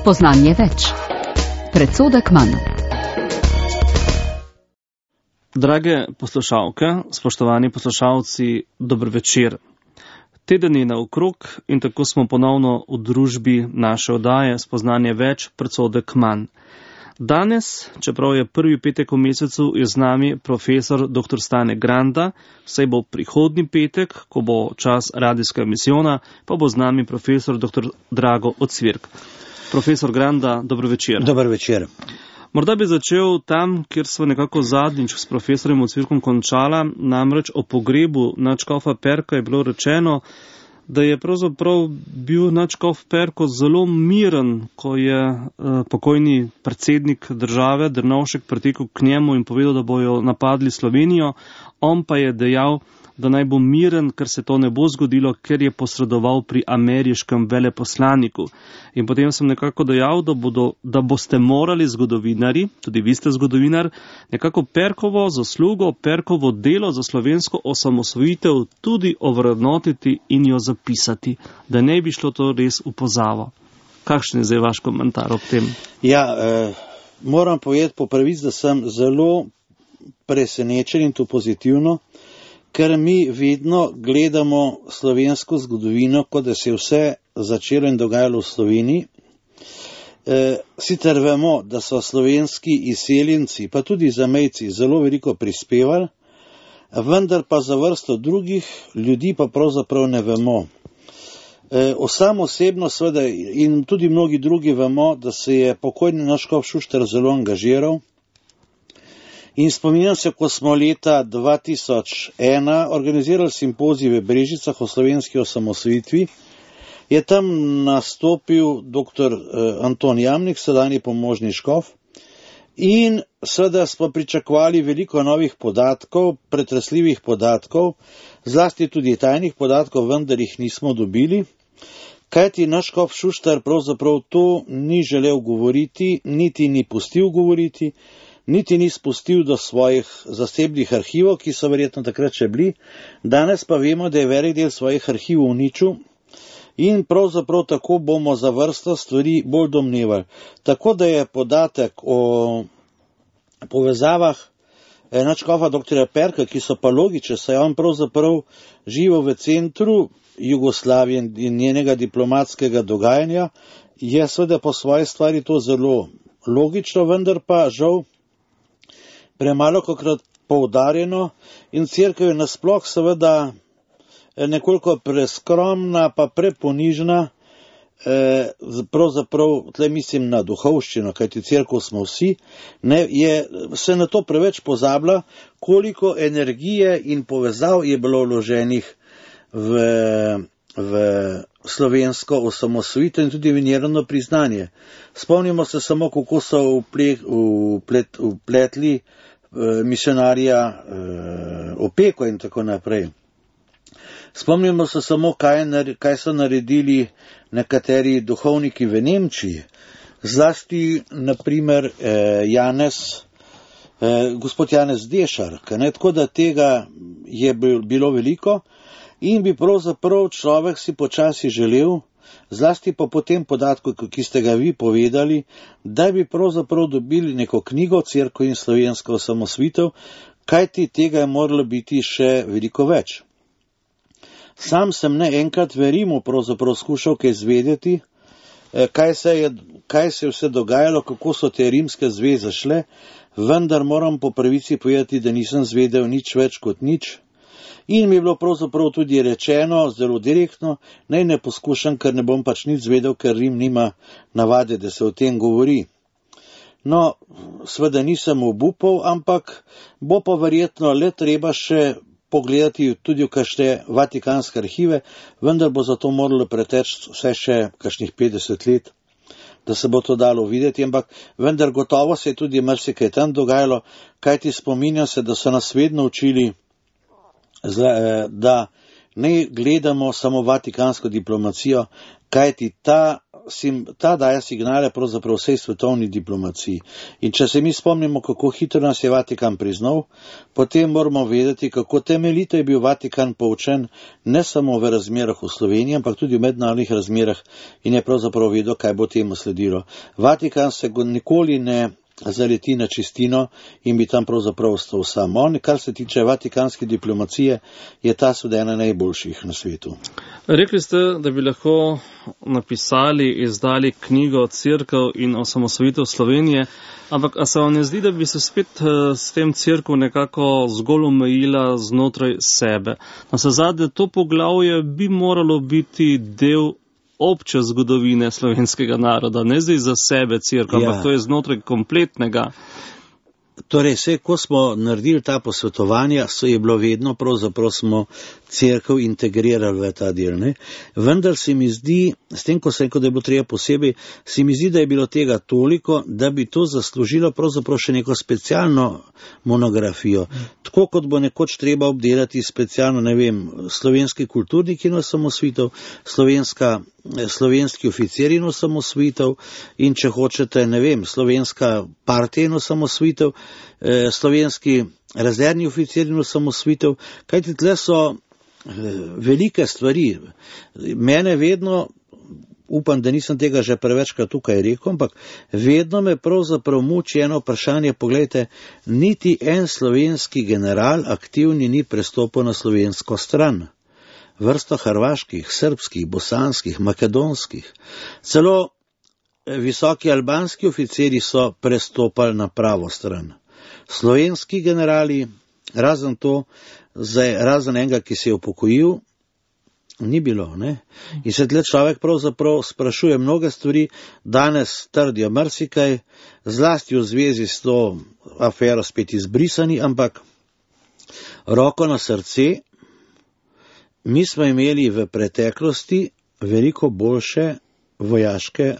Spoznanje več. Predsodek manj. Drage poslušalke, spoštovani poslušalci, dober večer. Teden je naokrog in tako smo ponovno v družbi naše oddaje Spoznanje več, predsodek manj. Danes, čeprav je prvi petek v mesecu, je z nami profesor dr. Stane Granda, vsej bo prihodnji petek, ko bo čas radijska emisijona, pa bo z nami profesor dr. Drago Ocvirk. Profesor Granda, dobro večer. Dober večer. Morda bi začel tam, kjer smo nekako zadnjič s profesorjem Ocvirkom končala, namreč o pogrebu nadškofa Perka je bilo rečeno, da je pravzaprav bil nadškof Perko zelo miren, ko je pokojni predsednik države Drnovšek pritekel k njemu in povedal, da bojo napadli Slovenijo. On pa je dejal, da naj bo miren, ker se to ne bo zgodilo, ker je posredoval pri ameriškem veleposlaniku. In potem sem nekako dejal, da boste morali zgodovinari, tudi vi ste zgodovinar, nekako Perkovo zaslugo, Perkovo delo za slovensko osamosvojitev tudi ovrednotiti in jo zapisati, da ne bi šlo to res v pozavo. Kakšen je zdaj vaš komentar ob tem? Ja, moram povedati po pravici, da sem zelo presenečen in to pozitivno, ker mi vedno gledamo slovensko zgodovino, kot da se je vse začelo in dogajalo v Sloveniji. Sicer vemo, da so slovenski izseljenci, pa tudi zamejci, zelo veliko prispevali, vendar pa za vrsto drugih ljudi pa pravzaprav ne vemo. Sam osebno seveda in tudi mnogi drugi vemo, da se je pokojni nadškof Šuštar zelo angažiral. In spominjam se, ko smo leta 2001 organizirali simpozij v Brežicah o slovenski osamosvojitvi, je tam nastopil dr. Anton Jamnik, sedanji pomožni škof, in seveda smo pričakovali veliko novih podatkov, pretresljivih podatkov, zlasti tudi tajnih podatkov, vendar jih nismo dobili, kajti naš škof Šuštar pravzaprav to ni želel govoriti, niti ni pustil govoriti, niti ni spustil do svojih zasebnih arhivov, ki so verjetno takrat še bili. Danes pa vemo, da je velik del svojih arhivov uničil in pravzaprav tako bomo za vrsto stvari bolj domnevali. Tako da je podatek o povezavah nadškofa dr. Perka, ki so pa logične, saj on pravzaprav živel v centru Jugoslavije in njenega diplomatskega dogajanja, je seveda po svoji stvari to zelo logično, vendar pa žal premalo kakrat poudarjeno in cerkev je nasploh seveda nekoliko preskromna pa preponižna, pravzaprav tle mislim na duhovščino, kajti cerkev smo vsi, se na to preveč pozablja, koliko energije in povezav je bilo vloženih v slovensko osamosvojitev in tudi v njeno priznanje. Spomnimo se samo, kako so vpletli misionarja Opeko in tako naprej. Spomnimo se samo, kaj so naredili nekateri duhovniki v Nemčiji, zlasti naprimer gospod Janez Dešar, tako da tega je bilo veliko in bi pravzaprav človek si počasi želel, zlasti pa po tem podatku, ki ste ga vi povedali, da bi pravzaprav dobili neko knjigo Cerkev in slovenska osamosvojitev, kajti tega je moralo biti še veliko več. Sam sem ne enkrat v Rimu pravzaprav skušal kaj izvedeti, kaj se je vse dogajalo, kako so te rimske zveze šle, vendar moram po pravici povedati, da nisem zvedel nič več kot nič. In mi je bilo pravzaprav tudi rečeno, zelo direktno, naj ne poskušam, ker ne bom pač nič zvedel, ker Rim nima navade, da se o tem govori. No, seveda nisem obupal, ampak bo pa verjetno le treba še pogledati tudi v kakšne vatikanske arhive, vendar bo za to moralo preteči vse še kakšnih 50 let, da se bo to dalo videti, ampak vendar gotovo se je tudi marsikaj tam dogajalo, kajti spominjam se, da so nas vedno učili, da ne gledamo samo vatikansko diplomacijo, kajti ta ta daje signale pravzaprav vsej svetovni diplomaciji. In če se mi spomnimo, kako hitro nas je Vatikan priznal, potem moramo vedeti, kako temeljito je bil Vatikan poučen ne samo v razmerah v Sloveniji, ampak tudi v mednarodnih razmerah in je pravzaprav vedel, kaj bo temu sledilo. Vatikan se nikoli ne zaleti na čistino in bi tam pravzaprav ostal sam. On, kar se tiče vatikanske diplomacije, je ta ena najboljših na svetu. Rekli ste, da bi lahko napisali, izdali knjigo Cerkev in osamosvojitev Slovenije, ampak a se vam ne zdi, da bi se spet s tem cerkev nekako zgolj omejila znotraj sebe? Navsezadnje to poglavje bi moralo biti del obče zgodovine slovenskega naroda, ne zdaj za sebe cerkev, ampak to je znotraj kompletnega. Torej, ko smo naredili ta posvetovanja, je bilo vedno, pravzaprav smo cerkev integrirali v ta del. Ne? Vendar se mi zdi, s tem, ko sem rekel, da je bilo treba posebej, se mi zdi, da je bilo tega toliko, da bi to zaslužilo pravzaprav še neko specialno monografijo. Tako kot bo nekoč treba obdelati specialno, ne vem, slovenski kulturnik in osamosvojitev, slovenski oficir in osamosvojitev in če hočete, ne vem, slovenska partija in osamosvojitev, slovenski rezervni oficir in osamosvojitev, kajti tle so velike stvari. Mene vedno, upam, da nisem tega že prevečkrat tukaj rekel, ampak vedno me pravzaprav muči eno vprašanje, poglejte, niti en slovenski general aktivni ni prestopil na slovensko stran. Vrsto hrvaških, srbskih, bosanskih, makedonskih, celo visoki albanski oficiri so prestopali na pravo stran. Slovenski generali, razen enega, ki se je upokojil, ni bilo. Ne? In se tle človek pravzaprav sprašuje mnoge stvari, danes trdijo marsikaj, zlasti v zvezi s to afero spet izbrisani, ampak roko na srce, mi smo imeli v preteklosti veliko boljše vojaške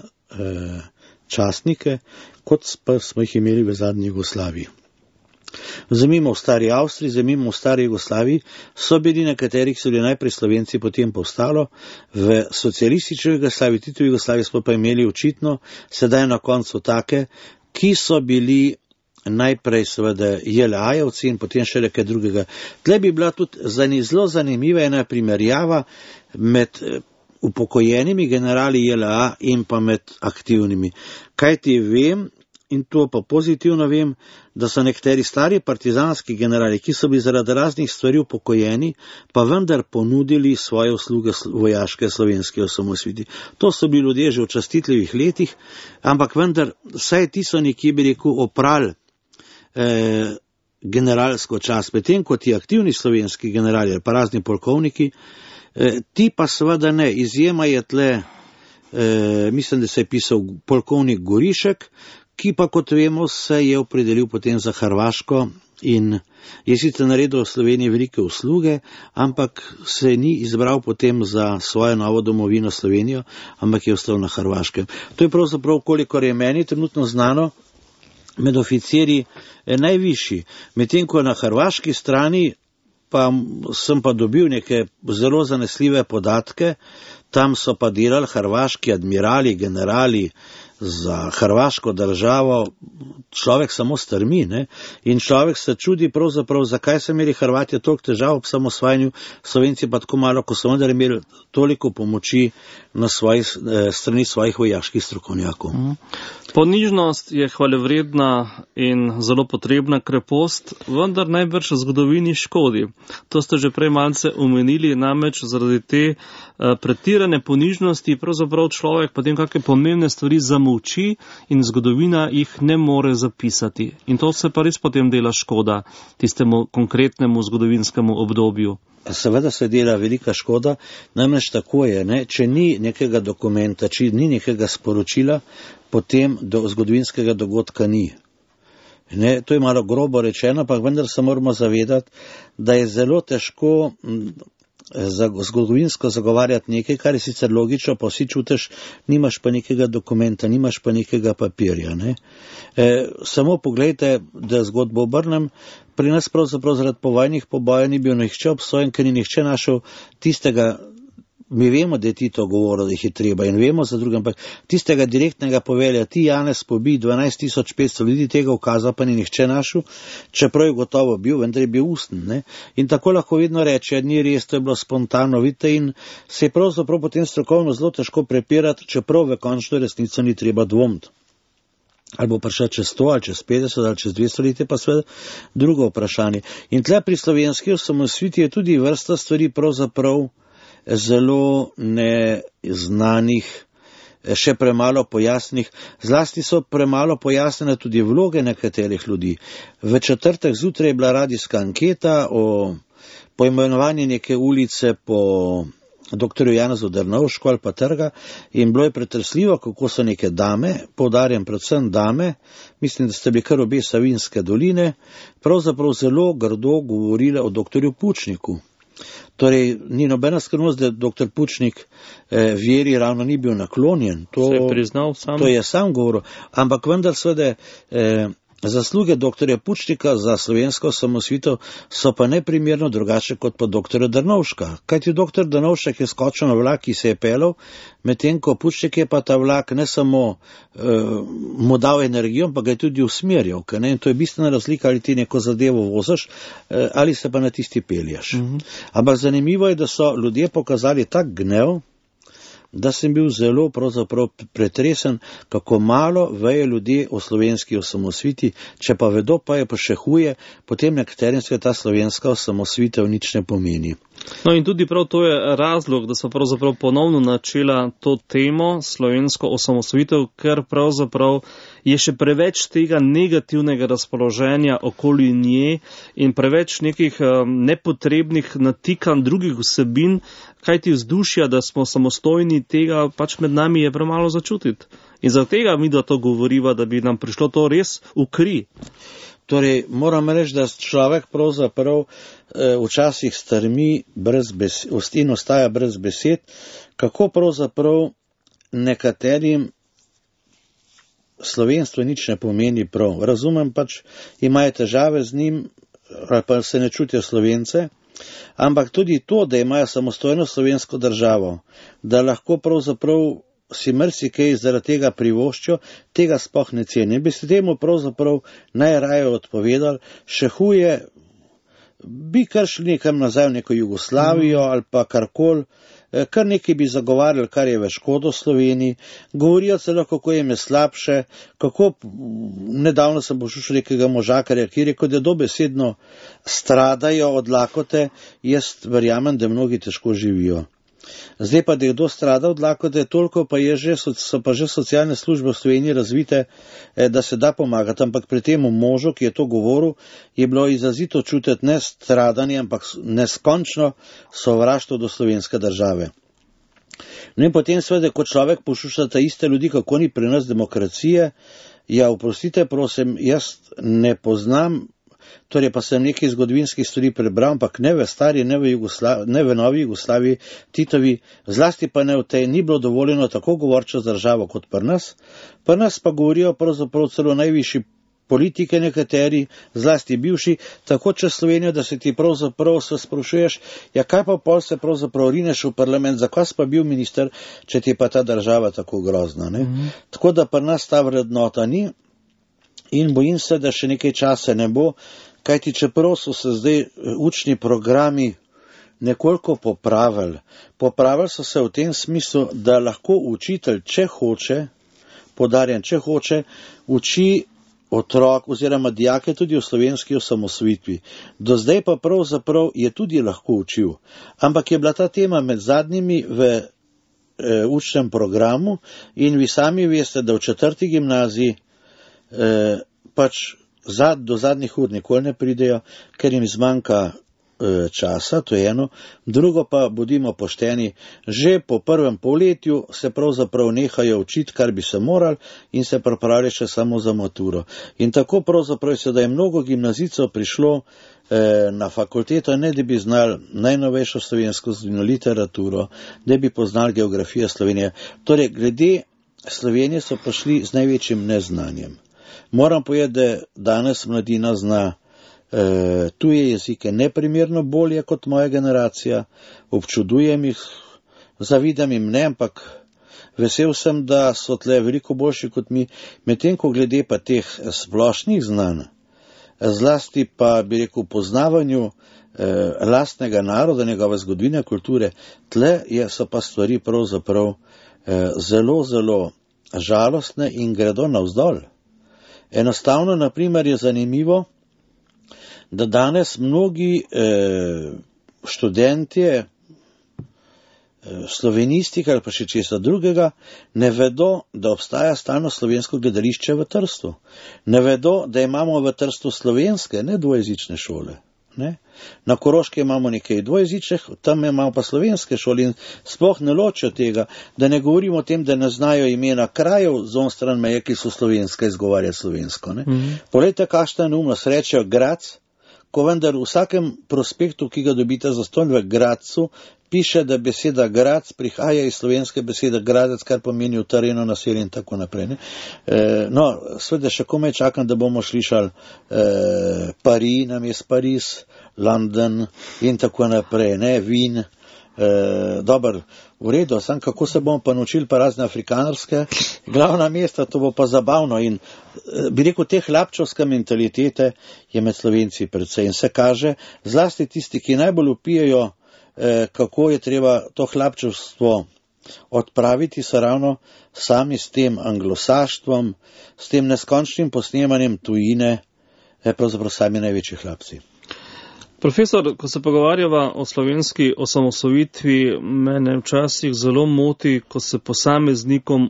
častnike, kot pa smo jih imeli v zadnji Jugoslaviji. Vzemimo v stari Avstriji, vzemimo v stari Jugoslaviji, so bili nekateri, ki so bili najprej Slovenci, potem povstalo, v socialistični Jugoslaviji, tudi v Jugoslaviji smo pa imeli očitno, sedaj na koncu take, ki so bili najprej seveda JLA-jevci in potem še nekaj drugega. Tle bi bila tudi zelo zanimiva ena primerjava med upokojenimi generali JLA in pa med aktivnimi. Kajti vem, in to pa pozitivno vem, da so nekateri stari partizanski generali, ki so bili zaradi raznih stvari upokojeni, pa vendar ponudili svoje usluge vojaške slovenske osamosvojitvi. To so bili ljudje že v častitljivih letih, ampak vendar vsaj ti so nekje, bi rekel, oprali generalsko čast, medtem kot ti aktivni slovenski generali ali pa razni polkovniki, ti pa seveda ne. Izjema je tle, mislim, da se je pisal polkovnik Gorišek, ki pa, kot vemo, se je opredelil potem za Hrvaško in je sicer naredil v Sloveniji velike usluge, ampak se ni izbral potem za svojo novo domovino Slovenijo, ampak je ostal na Hrvaškem. To je pravzaprav, kolikor je meni trenutno znano, med oficirji najvišji. Medtem ko na hrvaški strani pa sem pa dobil neke zelo zanesljive podatke, tam so pa delali hrvaški admirali, generali za hrvaško državo, človek samo strmi, ne? In človek se čudi pravzaprav, zakaj so imeli Hrvatje toliko težav ob samosvajanju, Slovenci pa tako malo, ko so vendar imeli toliko pomoči na strani svojih vojaških strokovnjakov. Ponižnost je hvalevredna in zelo potrebna krepost, vendar najbrž v zgodovini škodi. To ste že prej malce omenili, namreč zaradi te pretirane ponižnosti pravzaprav človek potem kakšne pomembne stvari zamolči in zgodovina jih ne more zapisati. In to se pa res potem dela škoda tistemu konkretnemu zgodovinskemu obdobju. Seveda se dela velika škoda, namreč tako je, ne? Če ni nekega dokumenta, če ni nekega sporočila, potem do zgodovinskega dogodka ni. Ne? To je malo grobo rečeno, pa vendar se moramo zavedati, da je zelo težko zgodovinsko zagovarjati nekaj, kar je sicer logično, pa vsi čutiš, nimaš pa nekega dokumenta, nimaš pa nekega papirja. Ne? Samo pogledajte, da zgodbo obrnem, pri nas pravzaprav zaradi povojnih pobojev ni bil nihče obsojen, ker ni nihče našel tistega mi vemo, da je Tito govoril, da jih je treba in vemo za drugim, ampak tistega direktnega povelja, ti Janez pobij 12.500 ljudi, tega ukaza pa ni nihče našel, čeprav je gotovo bil, vendar je bil usten. Ne? In tako lahko vedno reče, ni res, to je bilo spontano, vidite, in se je pravzaprav potem strokovno zelo težko prepirati, čeprav v končno resnico ni treba dvomiti. Ali bo prišel čez 100, ali čez 50, ali čez 200 let, je pa seveda drugo vprašanje. In tle pri slovenski osamosvojitvi je tudi vrsta stvari pravzaprav zelo neznanih, še premalo pojasnih. Zlasti so premalo pojasnjene tudi vloge nekaterih ljudi. V četrtek zjutraj je bila radijska anketa o poimenovanju neke ulice po doktorju Janezu Drnovšku ali pa trga in bilo je pretresljivo, kako so neke dame, poudarjam predvsem dame, mislim, da ste bili kar obe Savinjske doline, pravzaprav zelo grdo govorile o doktorju Pučniku. Torej, ni nobena skrivnost, da doktor Pučnik veri ravno ni bil naklonjen. Se je priznal sam. To je sam govoril, ampak vendar seveda zasluge doktorja Pučnika za slovensko osamosvojitev so pa neprimerno drugače kot pa doktorja Drnovška. Kajti doktor Drnovšek je skočil na vlak, ki se je pelal, medtem ko Pučnik je pa ta vlak ne samo mu dal energijo, ampak ga je tudi usmerjal. In to je bistvena razlika, ali ti neko zadevo voziš, ali se pa na tisti peljaš. Ampak zanimivo je, da so ljudje pokazali tak gnev, da sem bil zelo pravzaprav pretresen, kako malo vejo ljudje o slovenski osamosvojitvi, če pa vedo, pa je pa še huje, potem nekaterim se ta slovenska osamosvojitev nič ne pomeni. No in tudi prav to je razlog, da so pravzaprav ponovno načela to temo, slovensko osamosvojitev, ker pravzaprav je še preveč tega negativnega razpoloženja okoli nje in preveč nekih nepotrebnih natikanj drugih vsebin, kajti vzdušja, da smo samostojni, tega pač med nami je premalo začutiti. In zaradi tega mi da to govoriva, da bi nam prišlo to res v kri. Torej, moram reči, da človek pravzaprav včasih strmi brez besed in ostaja brez besed, kako pravzaprav nekaterim slovenstvo nič ne pomeni prav. Razumem pač, imajo težave z njim, ali pa se ne čutijo Slovence, ampak tudi to, da imajo samostojno slovensko državo, da lahko pravzaprav si marsikaj zaradi tega privoščijo, tega sploh ne ceni. Bi se temu pravzaprav najraje odpovedali, še huje, bi kar šli nekam nazaj v neko Jugoslavijo ali pa karkoli, kar nekaj bi zagovarjali, kar je v škodo Sloveniji, govorijo celo, kako jim je slabše, kako nedavno sem poslušal nekega možakarja, ki je rekel, da dobesedno stradajo od lakote, jaz verjamem, da mnogi težko živijo. Zdaj pa, da je kdo strada od lakote, toliko pa so pa že socialne službe v Sloveniji razvite, da se da pomagati, ampak pri tem možu, ki je to govoril, je bilo izrazito čutiti ne stradanje, ampak neskončno sovraštvo do slovenske države. No in potem seveda, ko človek posluša ta iste ljudi, kako ni pri nas demokracije, ja, oprostite, prosim, jaz ne poznam, torej pa sem nekaj zgodovinskih stvari prebral, ampak ne v stari, ne v novi Jugoslaviji, Titovi, zlasti pa ne v tej, ni bilo dovoljeno tako govorčo z državo kot pri nas. Pri nas pa govorijo pravzaprav celo najvišji politike nekateri, zlasti bivši, tako čez Slovenijo, da se ti pravzaprav se sprašuješ, ja kaj pa pol se pravzaprav rineš v parlament, zakaj si pa bil minister, če ti je pa ta država tako grozna. Ne? Tako da pri nas ta vrednota ni in bojim se, da še nekaj časa ne bo, kajti čeprav so se zdaj učni programi nekoliko popravili. Popravili so se v tem smislu, da lahko učitelj, če hoče, podarjam, če hoče, uči otrok oziroma dijake tudi o slovenski osamosvojitvi. Do zdaj pa pravzaprav je tudi lahko učil. Ampak je bila ta tema med zadnjimi v učnem programu in vi sami veste, da v 4. gimnaziji pač do zadnjih ur nikoli ne pridejo, ker jim zmanjka časa, to je eno. Drugo pa, bodimo pošteni, že po prvem polletju se pravzaprav nehajo učiti, kar bi se morali in se pripravljajo še samo za maturo. In tako pravzaprav se, da je mnogo gimnazijcev prišlo na fakulteto, ne da bi znali najnovejšo slovensko literaturo, da bi poznali geografijo Slovenije. Torej, glede Slovenije so prišli z največjim neznanjem. Moram povedati, da danes mladina zna tuje jezike neprimerno bolje kot moja generacija, občudujem jih, zavidam jim ne, ampak vesel sem, da so tle veliko boljši kot mi, medtem ko glede pa teh splošnih znanj, zlasti pa bi rekel poznavanju lastnega naroda, njegove zgodovine, kulture, tle so pa stvari pravzaprav zelo, zelo žalostne in gredo navzdol. Enostavno, naprimer, je zanimivo, da danes mnogi študentje slovenistike ali pa še česa drugega ne vedo, da obstaja stalno slovensko gledališče v Trstu. Ne vedo, da imamo v Trstu slovenske, ne dvojezične šole. Ne? Na Koroškem imamo nekaj dvojezičnih, tam imamo pa slovenske šole in sploh ne ločijo tega, da ne govorimo o tem, da ne znajo imena krajev z on stran meje, ki so slovenske, izgovarja slovensko. Poglejte, kakšna neumnost, rečejo Grac, ko vendar v vsakem prospektu, ki ga dobite zastonj v Gracu, piše, da beseda Grac prihaja iz slovenske besede Gradec, kar pomeni utrjeno naselje in tako naprej. No, seveda še komaj čakam, da bomo slišali Paris, namesto Pariz, London in tako naprej, ne, Wien. Dobar, v redu, sam kako se bomo pa naučili pa razne afrikanarske glavna mesta, to bo pa zabavno in bi rekel, te hlapčevske mentalitete je med Slovenci predvsej in se kaže, zlasti tisti, ki najbolj vpijejo, kako je treba to hlapčevstvo odpraviti, so ravno sami s tem anglosaštvom, s tem neskončnim posnemanjem tujine, pravzaprav sami največji hlapci. Profesor, ko se pogovarjava o slovenski osamosvojitvi, mene včasih zelo moti, ko se posameznikom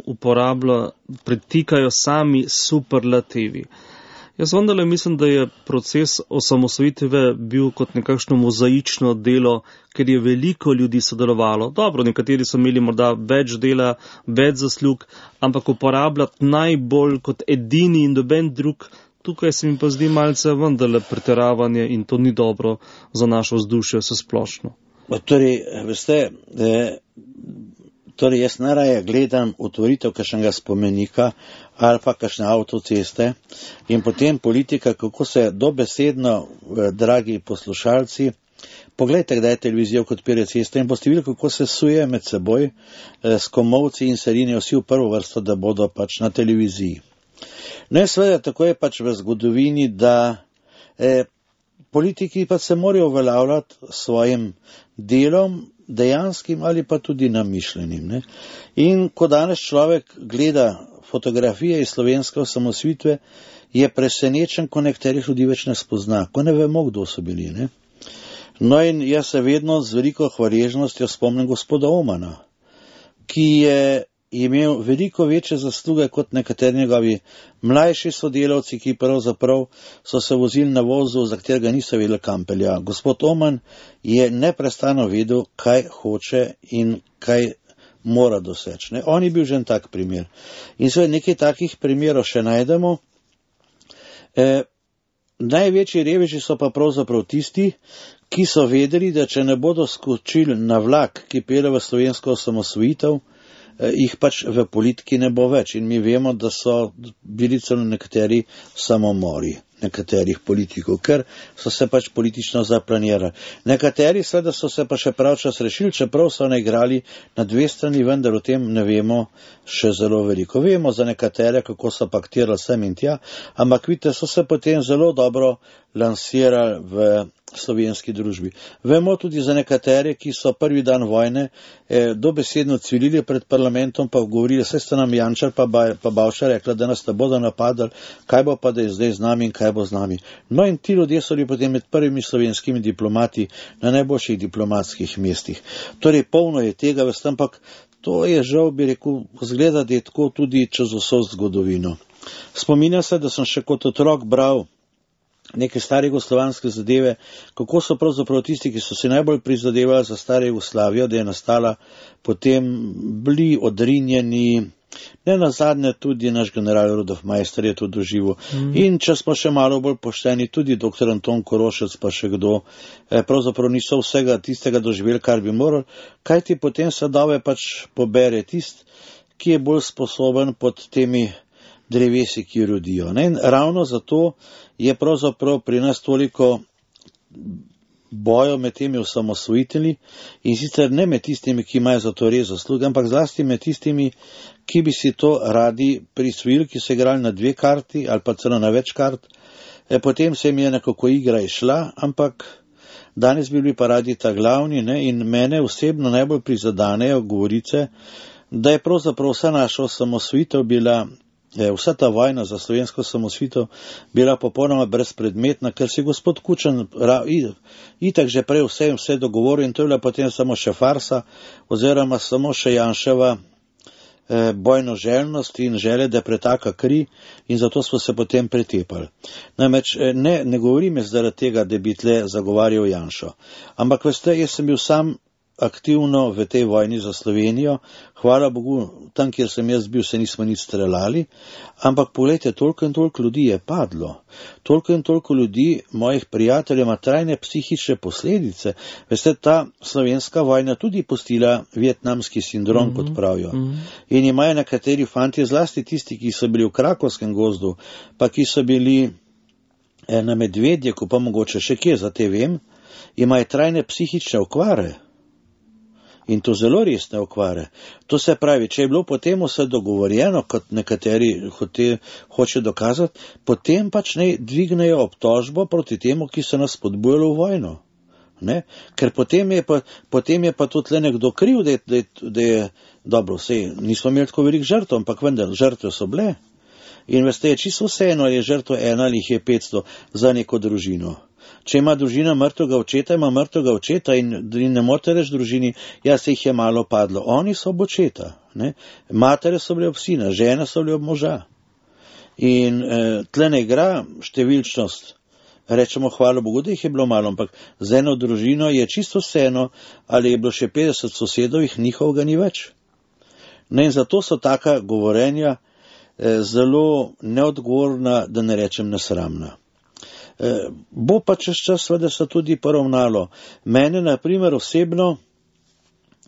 pretikajo sami superlativi. Jaz vendarle mislim, da je proces osamosvojitve bil kot nekakšno mozaično delo, ker je veliko ljudi sodelovalo. Dobro, nekateri so imeli morda več dela, več zaslug, ampak uporabljati najbolj kot edini in doben drug, tukaj se mi pa zdi malce vendarle pretiravanje in to ni dobro za našo vzdušje vse splošno. Torej, veste, jaz najraje gledam otvoritev kakšnega spomenika ali pa kakšne avtoceste in potem politika, kako se dobesedno, dragi poslušalci, poglejte, kdaj je televizijo, kot odpira ceste in boste videli, kako se suje med seboj s komolci in se rinejo vsi v prvo vrsto, da bodo pač na televiziji. No, seveda, tako je pač v zgodovini, da politiki pa se morajo uveljavljati svojim delom, dejanskim ali pa tudi namišljenim. Ne? In ko danes človek gleda fotografije iz slovenske osamosvojitve, je presenečen, ko nekaterih ljudi več ne spozna, ko ne vemo, kdo so bili. Ne? No in jaz se vedno z veliko hvaležnostjo spomnim gospoda Omana, ki je imel veliko večje zasluge kot nekateri njegovi mlajši sodelavci, ki pravzaprav so se vozili na vozu, za katerega niso vedeli, kam pelja. Gospod Oman je neprestano vedel, kaj hoče in kaj mora doseči. Ne? On je bil že en tak primer. In seveda nekaj takih primerov še najdemo. Največji reveži so pa pravzaprav tisti, ki so vedeli, da če ne bodo skočili na vlak, ki pelje v slovensko osamosvojitev, jih pač v politiki ne bo več. In mi vemo, da so bili celo nekateri samomori nekaterih politikov, ker so se pač politično zaplanirali. Nekateri seveda so se pa še pravčas rešili, čeprav so igrali na dve strani, vendar o tem ne vemo še zelo veliko. Vemo za nekatere, kako so paktirali sem in tja, ampak vidite, so se potem zelo dobro lansirali v slovenski družbi. Vemo tudi za nekatere, ki so prvi dan vojne dobesedno cvilili pred parlamentom, pa govorili, saj sta nam Jančar pa Bavčar rekla, da nas ne bodo napadali, kaj bo pa da je zdaj z nami in kaj bo z nami. No in ti ljudje so bili potem med prvimi slovenskimi diplomati na najboljših diplomatskih mestih. Torej, polno je tega, ampak to je žal, bi rekel, zgleda, da je tako tudi čez vso zgodovino. Spominjam se, da sem še kot otrok bral neke stare jugoslovanske zadeve, kako so pravzaprav tisti, ki so se najbolj prizadevali za staro Jugoslavijo, da je nastala, potem bili odrinjeni, ne nazadnje tudi naš general Rudolf Meister je to doživel. In če smo še malo bolj pošteni, tudi dr. Anton Korošec pa še kdo, pravzaprav niso vsega tistega doživeli, kar bi morali, kajti potem sadove pač pobere tist, ki je bolj sposoben pod temi drevesi, ki rodijo. In ravno zato je pravzaprav pri nas toliko bojo med temi osamosvojitelji in sicer ne med tistimi, ki imajo za to res zasluge, ampak zlasti med tistimi, ki bi si to radi prisvojili, ki so igrali na 2 karti ali pa celo na več kart. Potem se jim je nekako igra išla, ampak danes bi bili pa radi ta glavni, ne, in mene osebno najbolj prizadanejo govorice, da je pravzaprav vsa naša osamosvojitev bila, vsa ta vojna za slovensko osamosvojitev bila popolnoma brezpredmetna, ker si gospod Kučan itak že prej vse dogovoril in to je bila potem samo še farsa oziroma samo še Janševa bojno željnost in želje, da pretaka kri in zato smo se potem pretepali. Namreč ne govorim jaz zaradi tega, da bi tle zagovarjal Janšo, ampak veste, jaz sem bil sam aktivno v tej vojni za Slovenijo, hvala Bogu, tam, kjer sem jaz bil, se nismo nič streljali, ampak pogledajte, toliko in toliko ljudi je padlo, toliko in toliko ljudi, mojih prijateljev, ima trajne psihične posledice. Veste, ta slovenska vojna tudi pustila vietnamski sindrom, kot pravijo. In imajo nekateri fantje, zlasti tisti, ki so bili v Krakovskem gozdu, pa ki so bili na Medvedjeku, pa mogoče še kje, za te vem, imajo trajne psihične okvare. In to zelo resne okvare. To se pravi, če je bilo potem vse dogovorjeno, kot nekateri hoče dokazati, potem pač ne dvignejo obtožbo proti temu, ki so nas spodbujali v vojno. Ne? Ker potem je pa tudi nekdo kriv, da je dobro, vse, nismo imeli tako velik žrtev, ampak vendar, žrtve so bile. In veste, je čisto vseeno, ali je žrtev 1 ali jih je 500 za neko družino. Če ima družina mrtvega očeta, ima mrtvega očeta in ne morete reči družini, ja, se jih je malo padlo. Oni so ob očeta. Ne? Matere so bile ob sina, žene so bile ob moža. In tle ne igra številčnost. Rečemo, hvala Bogu, da jih je bilo malo, ampak za eno družino je čisto vseeno, ali je bilo še 50 sosedov, jih njihovega ni več. Ne, in zato so taka govorenja zelo neodgovorna, da ne rečem nesramna. Bo pa čez čas seveda se tudi poravnalo. Mene, na primer, osebno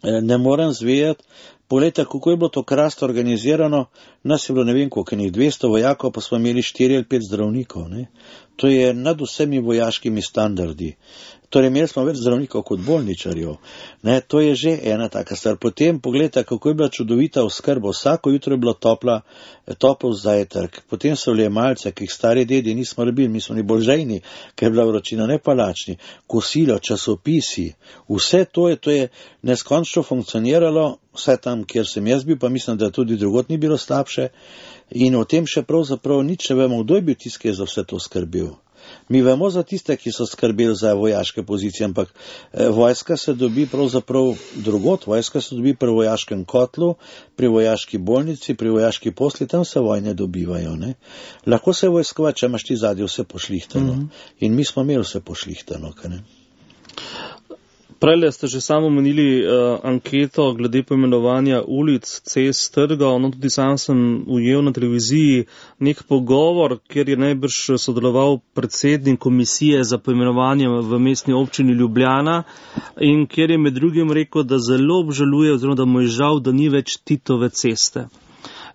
ne morem zvejati, poglejte, kako je bilo to krasno organizirano, nas je bilo ne vem koliko, 200 vojakov, pa smo imeli 4 ali 5 zdravnikov. Ne? To je nad vsemi vojaškimi standardi. Torej, imeli smo več zdravnikov kot bolničarjev. Ne, to je že ena taka stvar. Potem pogledajte, kako je bila čudovita oskrba. Vsako jutro je bilo topel zajtrk. Potem so bile malce, ki jih stari dedi nismo rabili, mi smo bili bolj žejni, ker je bila vročina, ne pa lačni. Kosilo, časopisi, vse to je neskončno funkcioniralo, vse tam, kjer sem jaz bil, pa mislim, da tudi drugot ni bilo slabše. In o tem še pravzaprav nič ne vemo, kdo je bil tisti, ki je za vse to skrbel. Mi vemo za tiste, ki so skrbeli za vojaške pozicije, ampak vojska se dobi pravzaprav drugot, vojska se dobi pri vojaškem kotlu, pri vojaški bolnici, pri vojaški posli, tam se vojne dobivajo. Ne? Lahko se vojskova, če imaš ti zadnje vse pošlihtano. In mi smo imeli vse pošlihtano. Prele ste že samo omenili anketo glede poimenovanja ulic, cest, trgov. No, tudi sam sem ujel na televiziji nek pogovor, kjer je najbrž sodeloval predsednik komisije za poimenovanje v mestni občini Ljubljana in kjer je med drugim rekel, da zelo obžaluje oziroma da mu je žal, da ni več Titove ceste.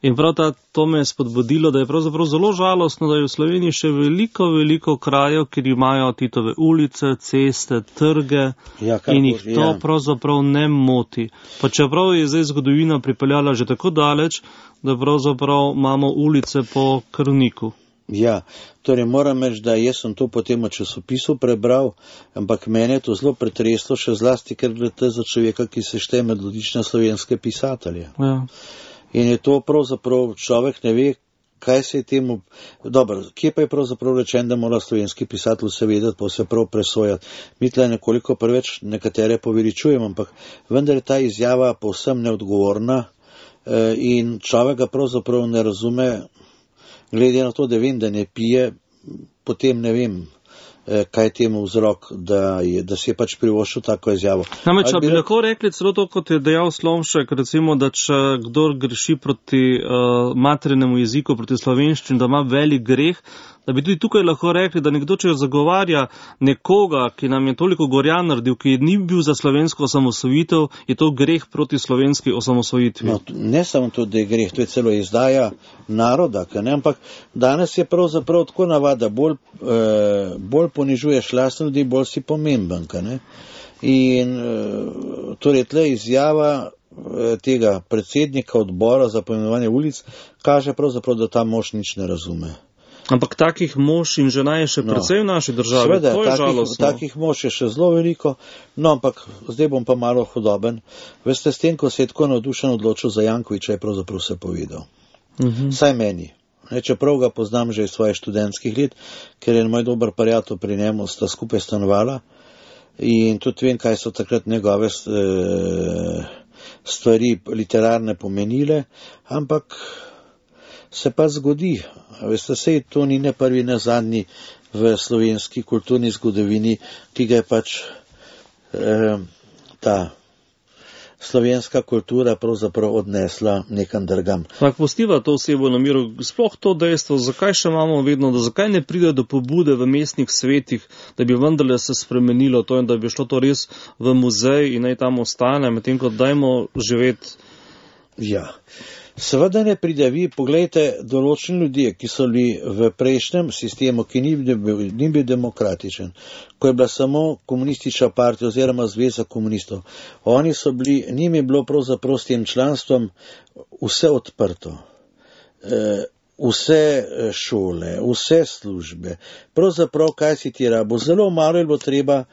In prav to me je spodbudilo, da je pravzaprav zelo žalostno, da je v Sloveniji še veliko krajev, kjer imajo Titove ulice, ceste, trge in jih to pravzaprav ne moti. Pa čeprav je zdaj zgodovina pripeljala že tako daleč, da pravzaprav imamo ulice po krvniku. Ja, torej moram reči, da jaz sem to potem v časopisu prebral, ampak mene je to zelo pretreslo, še zlasti, ker gre za človeka, ki se šteje med odlične slovenske pisatelje. Ja. In je to pravzaprav, človek ne ve, kaj se je temu, dobro, kje pa je pravzaprav rečen, da mora slovenski pisatelj vse vedeti, pa vse prav presojati. Mi tle nekoliko preveč nekatere poveličujemo, ampak vendar je ta izjava povsem neodgovorna in človek ga pravzaprav ne razume, glede na to, da vem, da ne pije, potem ne vem, kaj je temu vzrok, da si je pač privoščil tako izjavo. Namreč, bi lahko rekli celo to, kot je dejal Slomšek, recimo, da če kdor greši proti materinemu jeziku, proti slovenščini, da ima velik greh, da bi tudi tukaj lahko rekli, da nekdo, če zagovarja nekoga, ki nam je toliko gorja naredil, ki ni bil za slovensko osamosvojitev, je to greh proti slovenski osamosvojitvi. No, ne samo to, da je greh, to je celo izdaja naroda, ampak danes je pravzaprav tako navada, bolj ponižuješ lastne ljudi, bolj si pomemben. In torej tle izjava tega predsednika odbora za poimenovanje ulic kaže pravzaprav, da ta mož nič ne razume. Ampak takih mož in žena je še precej v naši državi. Sveda, to je žalostno. Takih mož je še zelo veliko, no ampak zdaj bom pa malo hudoben. Veste, s tem, ko se je tako navdušen odločil za Jankovića, je pravzaprav vse povedal. Saj meni. Čeprav ga poznam že iz svojih študentskih let, ker je moj dober prijatelj pri njemu, sta skupaj stanovala in tudi vem, kaj so takrat njegove stvari literarne pomenile, ampak se pa zgodi. Veste, sej to ni ne prvi, ne zadnji v slovenski kulturni zgodovini, ki ga je pač ta slovenska kultura pravzaprav odnesla nekam drugam. Ampak pustiva to osebo na miru, sploh to dejstvo, zakaj še imamo vedno, da zakaj ne pride do pobude v mestnih svetih, da bi vendarle se spremenilo to in da bi šlo to res v muzej in naj tam ostane, medtem ko dajmo živeti. Ja. Seveda ne pride, vi poglejte, določeni ljudje, ki so bili v prejšnjem sistemu, ki ni bil demokratičen, ko je bila samo komunistična partija oziroma zveza komunistov, oni so bili, njim je bilo pravzaprav s tem članstvom vse odprto, vse šole, vse službe, pravzaprav kaj si ti rabo, zelo malo je bilo treba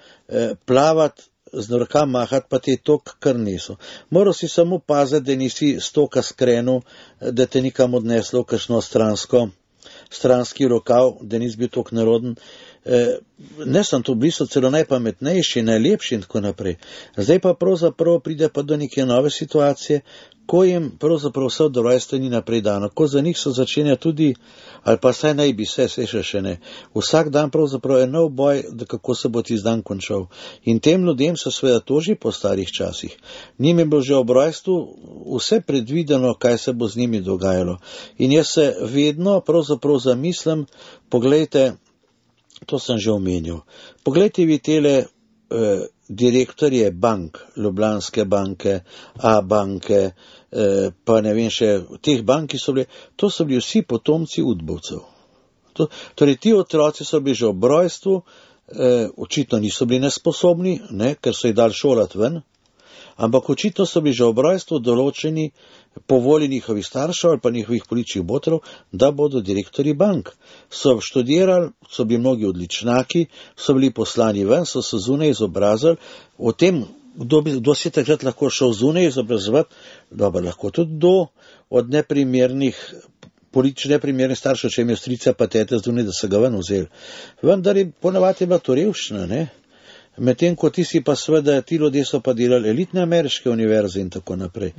plavati, z rokam mahati, pa te tok kar niso. Moral si samo paziti, da nisi stoka skrenil, da te nikam odneslo v kakšno stranski rokav, da nisi bil tok naroden. Ne sem to bili so celo najpametnejši, najlepši in tako naprej. Zdaj pa pravzaprav pride pa do neke nove situacije, ko jim pravzaprav vse od rojstva ni naprej dano. Ko za njih so začenja tudi, ali pa saj naj bi se še ne. Vsak dan pravzaprav je nov boj, da kako se bo tisti dan končal. In tem ljudem se seveda toži po starih časih. Njim je bilo že ob rojstvu vse predvideno, kaj se bo z njimi dogajalo. In jaz se vedno pravzaprav zamislim, poglejte, to sem že omenil, poglejte vi tele direktorje bank, Ljubljanske banke, A banke, pa ne vem še, teh bank, ki so bile, to so bili vsi potomci udbovcev. Torej, ti otroci so bili že ob rojstvu, očitno niso bili nesposobni, ne, ker so jih dali šolati ven, ampak očitno so bili že ob rojstvu določeni po volji njihovih staršev ali pa njihovih političnih botrov, da bodo direktori bank. So študirali, so bili mnogi odličnaki, so bili poslani ven, so se zunaj izobrazili. O tem, kdo si takrat lahko šel zunaj izobrazovati, dobro, lahko tudi kdo od politično neprimernih staršev, če imajo strica pa tete zunaj, da se ga ven vzeli. Vendar je ponavadi bila to revščina, ne? Medtem ko ti si pa seveda, ti ljudje so pa delali elitne ameriške univerze in tako naprej.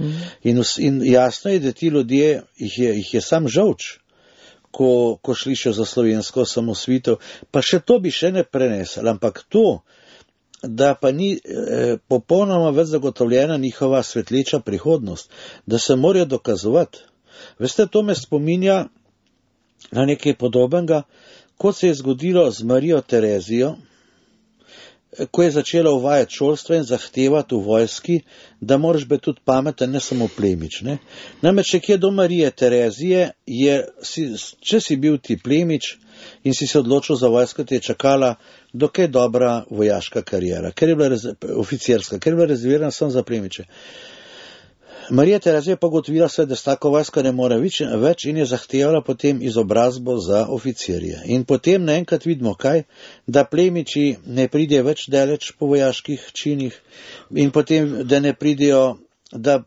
In jasno je, da ti ljudje, jih je sam žolč, ko slišijo za slovensko osamosvojitev, pa še to bi še ne prenesli, ampak to, da pa ni popolnoma več zagotovljena njihova svetleča prihodnost, da se morajo dokazovati. Veste, to me spominja na nekaj podobnega, kot se je zgodilo z Marijo Terezijo, ko je začela uvajati šolstvo in zahtevati v vojski, da moraš biti tudi pameten, ne samo plemič. Ne? Namreč, kje do Marije Terezije, če si bil ti plemič in si se odločil za vojsko, te je čakala dokaj dobra vojaška karijera, oficirska, ker je bila rezervirana samo za plemiče. Marija Terezija pa ugotovila se, da s tako vojsko ne more več in je zahtevala potem izobrazbo za oficirje. In potem naenkrat vidimo kaj, da plemiči ne pridejo več daleč po vojaških činih in potem, da ne pridejo, da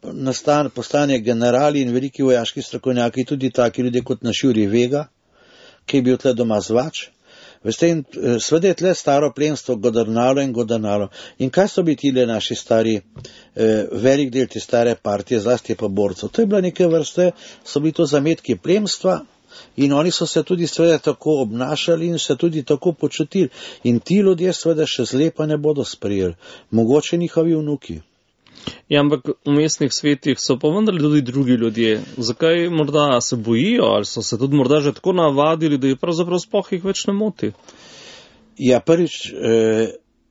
postane generali in veliki vojaški strokovnjaki, tudi taki ljudje kot naš Jurij Vega, ki je bil tle doma zvač. Veste, in sveda je tle staro plemstvo godrnalo in godrnalo. In kaj so bili tile naši stari, velik del te stare partije, zlasti pa borcev? To je bila neke vrste, so bili to zametki plemstva in oni so se tudi sveda tako obnašali in se tudi tako počutili. In ti ljudje sveda še zlepa ne bodo sprejeli, mogoče njihovi vnuki. Ja, ampak v mestnih svetih so pa vendarle tudi drugi ljudje. Zakaj morda se bojijo ali so se tudi morda že tako navadili, da je pravzaprav sploh jih več ne moti? Ja, prvič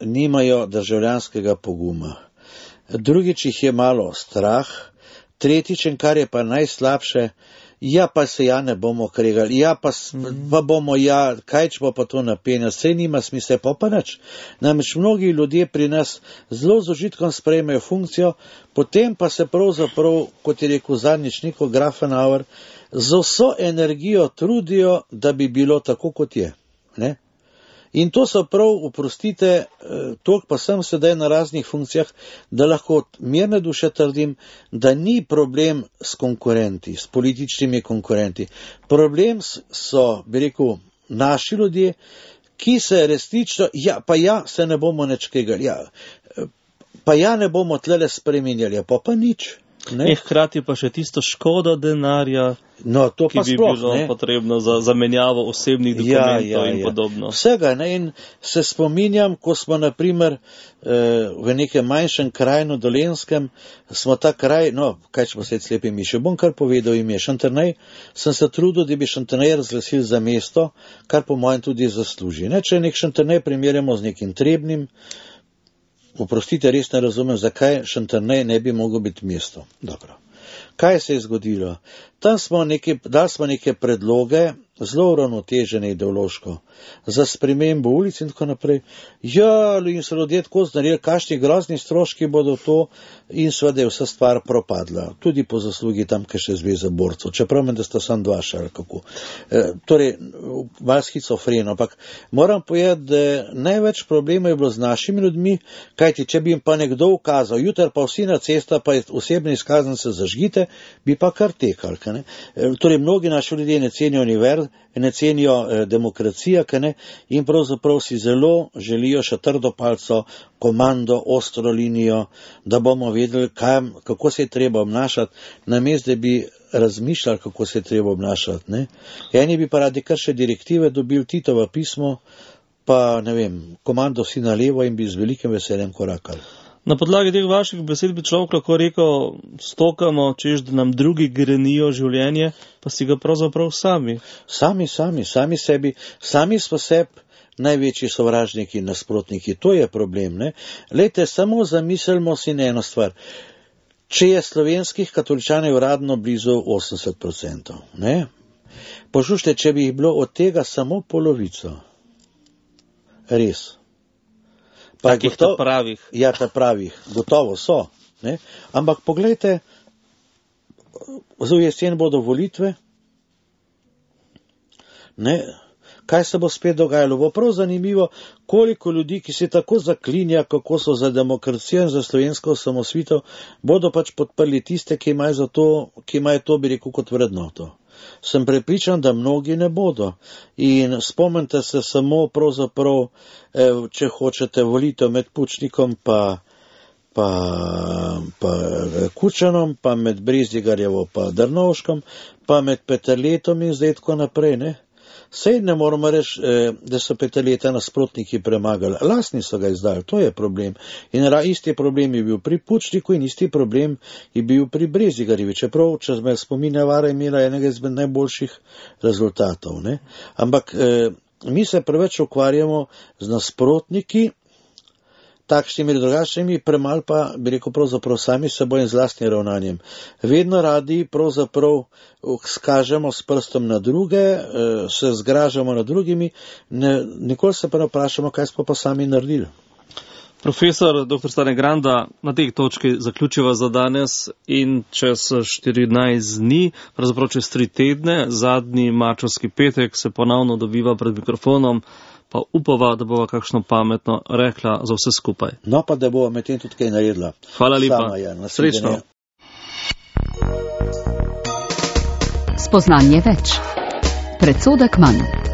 nimajo državljanskega poguma. Drugič jih je malo strah, Tretjič, in kar je pa najslabše, ja, pa se ja ne bomo kregali, ja, pa bomo, ja, kaj če pa to napenja, sej nima smisla, pa nič. Namreč mnogi ljudje pri nas zelo z užitkom sprejmejo funkcijo, potem pa se pravzaprav, kot je rekel zadnjič Niko Grafenauer, z vso energijo trudijo, da bi bilo tako, kot je. Ne? In to so prav, oprostite, toliko pa sem sedaj na raznih funkcijah, da lahko mirne duše trdim, da ni problem s konkurenti, s političnimi konkurenti. Problem so, bi rekel, naši ljudje, ki se resnično, se ne bomo nič kregali, ne bomo tlele spreminjali, pa nič. Hkrati pa še tisto škodo denarja, to ki bi bilo potrebno za zamenjavo osebnih dokumentov in podobno. Vsega, ne, in se spominjam, ko smo naprimer v nekem manjšem kraju na Dolenjskem, smo ta kraj, kaj če poslediti slepi miši, bom kar povedal ime, Šentjernej, sem se trudil, da bi Šentjernej razglasil za mesto, kar po mojem tudi zasluži. Ne, če nek Šentjernej primerjamo z nekim Trebnjem, oprostite, res ne razumem, zakaj Šentjernej ne bi mogel biti mesto. Dobro. Kaj se je zgodilo? Dali smo neke predloge, zelo uravnotežene ideološko, za spremembo ulic in tako naprej. In so ljudje tako znarili, kakšni grozni stroški bodo to, in seveda je vsa stvar propadla. Tudi po zaslugi tamkajšnje zveze borcev, čeprav da sta samo dva ali kako. Torej, malo schizofreno, ampak moram povedati, da največ problema je bilo z našimi ljudmi, kajti če bi jim pa nekdo ukazal, jutri pa vsi na cesta, pa osebne izkaznice zažgite, bi pa kar tekali. Torej, mnogi naši ljudje ne cenijo univerz, ne cenijo demokracija, in pravzaprav si zelo želijo še trdo palco, komando, ostro linijo, da bomo vedeli, kako se je treba obnašati, namesto da bi razmišljali, kako se je treba obnašati. Ne? Eni bi pa radi kar še direktive dobili, Titovo pismo, pa ne vem, komando si na levo, in bi z velikim veseljem korakali. Na podlagi teh vaših besed bi človek lahko rekel, stokamo, češ, da nam drugi grenijo življenje, pa si ga pravzaprav sami. Sami sebi, sami smo sebi največji sovražniki in nasprotniki, to je problem. Ne? Lejte, samo zamislimo si na eno stvar. Če je slovenskih katoličanov uradno blizu 80%, ne? Poslušajte, če bi jih bilo od tega samo polovico. Res. Takih ta pravih. Ja, ta pravih, gotovo so. Ne? Ampak poglejte, v jesen bodo volitve, ne? Kaj se bo spet dogajalo? Bo prav zanimivo, koliko ljudi, ki se tako zaklinja, kako so za demokracijo in za slovensko osamosvojitev, bodo pač podprli tiste, ki imajo to, bi rekel, kot vrednoto. Sem prepričan, da mnogi ne bodo. In spomnite se samo pravzaprav, če hočete, volitev med Pučnikom pa Kučanom, pa med Brezdigarjevo pa Drnovškom, pa med Peterletom in zdaj tako naprej, ne? Sej ne moramo reči, da so Peterleta nasprotniki premagali. Lastni so ga izdali, to je problem. In isti problem je bil pri Pučniku in isti problem je bil pri Brezdigarjevi. Čeprav, če me spominja vara, imela enega izmed najboljših rezultatov. Ne? Ampak mi se preveč ukvarjamo z nasprotniki, takšnimi ali drugačnimi, premalo pa, bi rekel, pravzaprav sami seboj in z lastnim ravnanjem. Vedno radi pravzaprav skažemo s prstom na druge, se zgražamo nad drugimi, nikoli se pa ne vprašamo, kaj smo pa sami naredili. Profesor dr. Stane Granda, na tej točki zaključiva za danes in čez 14 dni, pravzaprav čez 3 tedne, zadnji marčevski petek, se ponovno dobiva pred mikrofonom, pa upava, da bova kakšno pametno rekla za vse skupaj. No pa, da bova medtem tudi kaj naredila. Hvala lepa. Srečno. Spoznanje več. Predsodek manj.